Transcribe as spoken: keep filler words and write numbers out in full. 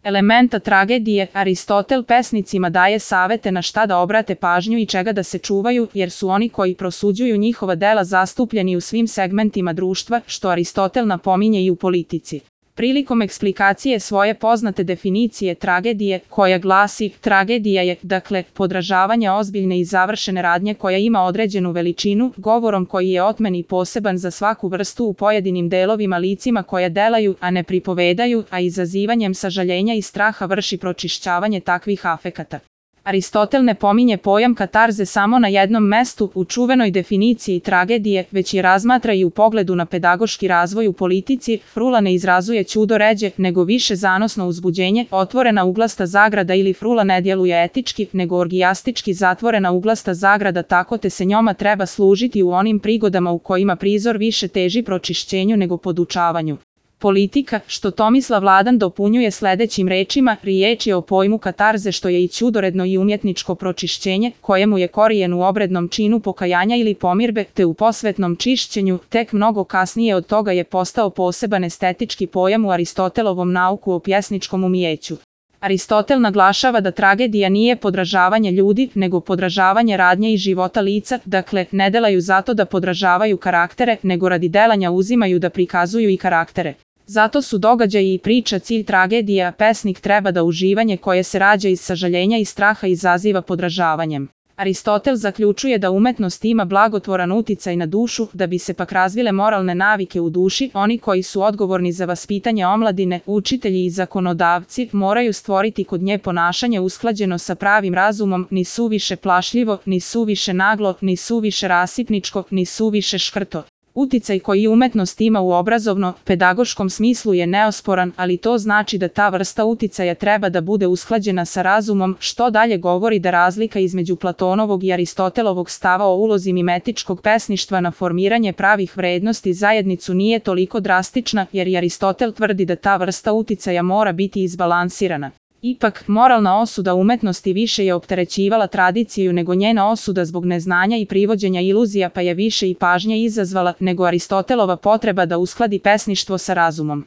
elementa tragedije, Aristotel pesnicima daje savete na šta da obrate pažnju i čega da se čuvaju, jer su oni koji prosuđuju njihova dela zastupljeni u svim segmentima društva, što Aristotel napominje i u politici. Prilikom eksplikacije svoje poznate definicije tragedije, koja glasi: tragedija je, dakle, podražavanje ozbiljne i završene radnje koja ima određenu veličinu, govorom koji je otmen i poseban za svaku vrstu u pojedinim delovima licima koja delaju, a ne pripovedaju, a izazivanjem sažaljenja i straha vrši pročišćavanje takvih afekata. Aristotel ne pominje pojam katarze samo na jednom mestu u čuvenoj definiciji tragedije, već je razmatra i u pogledu na pedagoški razvoj u politici. Frula ne izrazuje ćudo ređe, nego više zanosno uzbuđenje, otvorena uglasta zagrada, ili frula ne djeluje etički, nego orgijastički zatvorena uglasta zagrada, tako te se njoma treba služiti u onim prigodama u kojima prizor više teži pročišćenju nego podučavanju. Politika, što Tomislav Ladan dopunjuje sledećim rečima, riječ je o pojmu katarze, što je i ćudoredno i umjetničko pročišćenje, kojemu je korijen u obrednom činu pokajanja ili pomirbe, te u posvetnom čišćenju. Tek mnogo kasnije od toga je postao poseban estetički pojam u Aristotelovom nauku o pjesničkom umijeću. Aristotel naglašava da tragedija nije podražavanje ljudi, nego podražavanje radnje i života lica, dakle, ne delaju zato da podražavaju karaktere, nego radi delanja uzimaju da prikazuju i karaktere. Zato su događaji i priča cilj tragedije, a pesnik treba da uživanje koje se rađa iz sažaljenja i straha izaziva podražavanjem. Aristotel zaključuje da umetnost ima blagotvoran uticaj na dušu, da bi se pak razvile moralne navike u duši. Oni koji su odgovorni za vaspitanje omladine, učitelji i zakonodavci, moraju stvoriti kod nje ponašanje usklađeno sa pravim razumom, ni suviše plašljivo, ni suviše naglo, ni suviše rasipničko, ni suviše škrto. Uticaj koji umetnost ima u obrazovno-pedagoškom smislu je neosporan, ali to znači da ta vrsta uticaja treba da bude usklađena sa razumom, što dalje govori da razlika između Platonovog i Aristotelovog stava o ulozi mimetičkog pesništva na formiranje pravih vrednosti zajednicu nije toliko drastična, jer i Aristotel tvrdi da ta vrsta uticaja mora biti izbalansirana. Ipak, moralna osuda umetnosti više je opterećivala tradiciju nego njena osuda zbog neznanja i privođenja iluzija, pa je više i pažnje izazvala nego Aristotelova potreba da uskladi pesništvo sa razumom.